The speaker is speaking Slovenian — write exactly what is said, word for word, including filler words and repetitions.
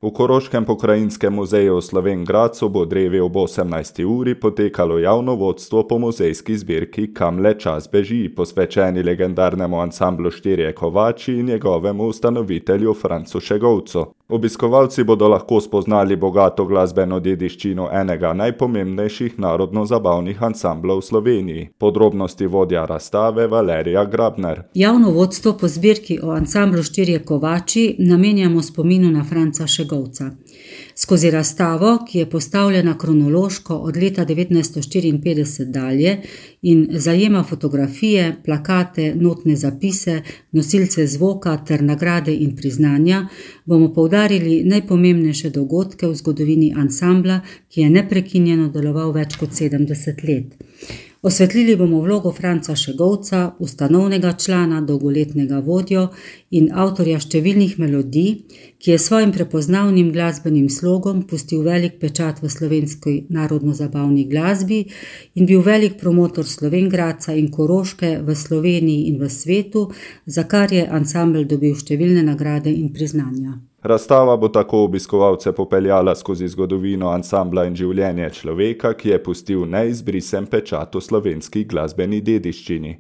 V Koroškem pokrajinskem muzeju v Slovenj Gradcu bo drevi ob osemnajsti uri potekalo javno vodstvo po muzejski zbirki Kam le čas beži, posvečeni legendarnemu ansamblu Štirje kovači in njegovemu ustanovitelju Francu Šegovcu. Obiskovalci bodo lahko spoznali bogato glasbeno dediščino enega najpomembnejših narodno-zabavnih ansamblov v Sloveniji. Podrobnosti vodja razstave Valerija Grabner. Javno vodstvo po zbirki o ansamblu Štirje kovači namenjamo spominu na Franca Šegovca. Skozi razstavo, ki je postavljena kronološko od leta devetnajststo štiriinpetdeset dalje in zajema fotografije, plakate, notne zapise, nosilce zvoka ter nagrade in priznanja, bomo poudarili najpomembnejše dogodke v zgodovini ansambla, ki je neprekinjeno deloval več kot sedemdeset let. Osvetlili bomo vlogo Franca Šegovca, ustanovnega člana, dolgoletnega vodjo in avtorja številnih melodij, ki je svojim prepoznavnim glasbenim slogom pustil velik pečat v slovenski narodno-zabavni glasbi in bil velik promotor Slovenj Gradca in Koroške v Sloveniji in v svetu, za kar je ansambel dobil številne nagrade in priznanja. Razstava bo tako obiskovalce popeljala skozi zgodovino ansambla in življenje človeka, ki je pustil neizbrisen pečat v slovenski glasbeni dediščini.